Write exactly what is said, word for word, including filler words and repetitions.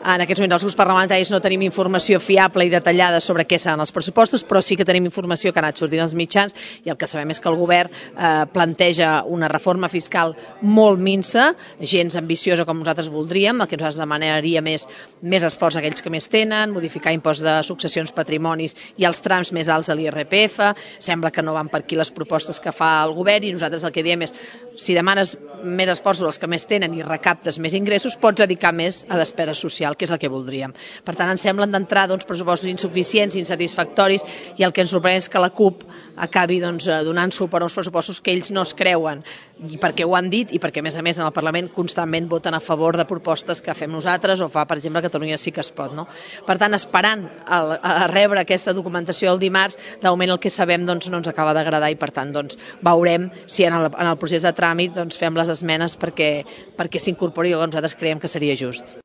En aquests moments els grups parlamentaris no tenim informació fiable i detallada sobre què seran els pressupostos, però sí que tenim informació que ha anat sortint als mitjans i el que sabem és que el govern eh, planteja una reforma fiscal molt minsa, gens ambiciosa com nosaltres voldríem, el que nosaltres demanaria més, més esforç a aquells que més tenen, modificar impost de successions, patrimonis i els trams més alts a l'I R P F, sembla que no van per aquí les propostes que fa el govern i nosaltres el que diem és si demanes més esforços als que més tenen i recaptes més ingressos, pots dedicar més a despesa social, que és el que voldríem. Per tant, ens semblen d'entrar doncs, pressupostos insuficients, insatisfactoris, i el que ens sorprèn és que la CUP acabi doncs, donant suport a uns pressupostos que ells no es creuen, i perquè ho han dit i perquè, a més a més, en el Parlament constantment voten a favor de propostes que fem nosaltres o fa, per exemple, Catalunya sí que es pot. No? Per tant, esperant a, a rebre aquesta documentació el dimarts, de moment el que sabem doncs, no ens acaba d'agradar i, per tant, doncs, veurem si en el, en el procés de tràmit doncs, fem les esmenes perquè, perquè s'incorpori el que nosaltres creiem que seria just.